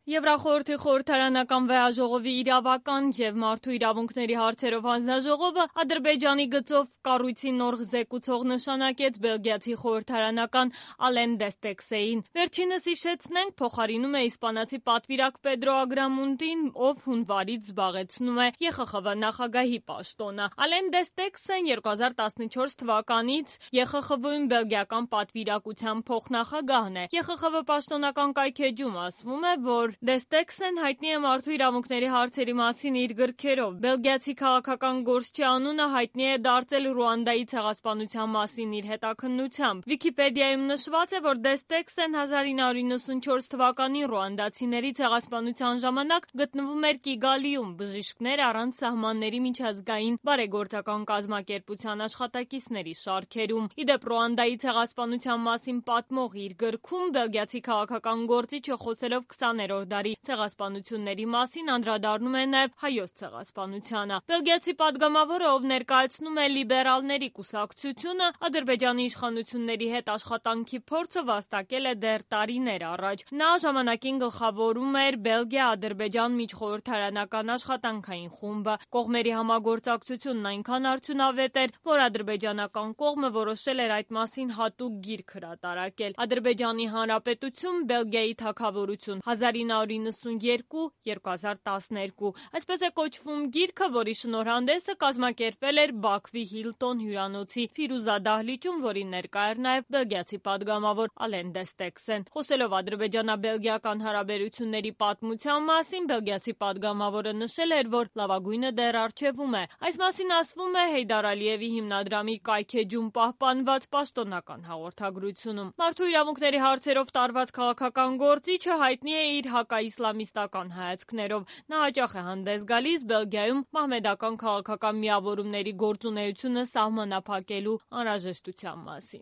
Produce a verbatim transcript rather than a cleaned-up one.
Եվրախորհրդի խորհրդարանական վեհաժողովի իրավական եւ մարդու իրավունքների հարցերով հանձնաժողովը Ադրբեջանի գծով կառույցի նոր զեկուցող նշանակեց բելգիացի խորհրդարանական Ալեն Դեստեքսեին։ Վերջինս հիշեցնենք փոխարինում է իսպանացի պատվիրակ Պեդրո Ագրամունդին, ով հունվարից զբաղեցնում է Է Խ Խ V նախագահի պաշտոնը։ Ալեն Դեստեքսեն երկու հազար տասնչորս թվականից Է Խ Խ V-ում բելգիական պատվիրակության փոխնախագահն է։ Է Խ Խ V պաշտոնական կայքեջում ասվում է, որ Դեստեքսեն հայտնի է մարդու իրավունքների հարցերի մասին իր գրքերով։ Բելգիացի քաղաքական գործչի անունը հայտնի է դարձել Ռուանդայի ցեղասպանության մասին իր հետաքննությամբ։ Վիկիպեդիայում նշված է, որ Դեստեքսեն հազար ինը հարյուր նվաթ թվականին ռուանդացիների ցեղասպանության ժամանակ գտնվում էր Կիգալիում բժիշկներ առանց սահմանների միջազգային բարեգործական կազմակերպության աշխատակիցների շարքերում։ Իդեպ Ռուանդայի ցեղասպանության մասին պատմող իր գրքում բելգիացի քաղաքական գործիչը խոսելով քսաներորդ դարի ցեղասպանությունների մասին անդրադառնում է նաև հայոց ցեղասպանությանը։ Բելգիացի падգամավորը, ով ներկայացնում է լիբերալների կուսակցությունը, Ադրբեջանի իշխանությունների հետ աշխատանքի փորձը վաստակել է դեռ տարիներ առաջ։ Նա ժամանակին գլխավորում էր Բելգիա-Ադրբեջան միջխորհրդարանական աշխատանքային խումբը։ Կողմերի համագործակցությունն այնքան արդյունավետ էր, որ ադրբեջանական կողմը որոշել էր այդ մասին հատուկ գիրք հրատարակել։ Ադրբեջանի Հանրապետություն, Բելգիայի թագավորություն հազար ինը հարյուր նվաթ երկու հազար տասներկու։ Այսպես է կոչվում գիրքը, որի շնորհանդեսը կազմակերպվել էր Բաքվի Հիլտոն հյուրանոցի Ֆիրուզա դահլիճում, որին ներկա էր նաև բելգիացի падգամավոր Ալեն Դեստեքսեն։ Խոսելով ադրբեջանա-բելգիական հարաբերությունների պատմության մասին, բելգիացի падգամավորը նշել էր, որ լավագույնը դեռ առջևում է։ Այս մասին ասվում է Հեյդար Ալիևի հիմնադրամի կայքեջում պահպանված պաշտոնական հաղորդագրությունում։ Մարդու իրավունքների հարցերով տարված քաղաքական գործիչը հայտնի է իր հակաիսլամիստական հայացքներով։ Նա հաճախ է հանդես գալիս Բելգիայում մահմեդական քաղաքական միավորումների գործունեությունը սահմանափակելու անհրաժեշտության մասին։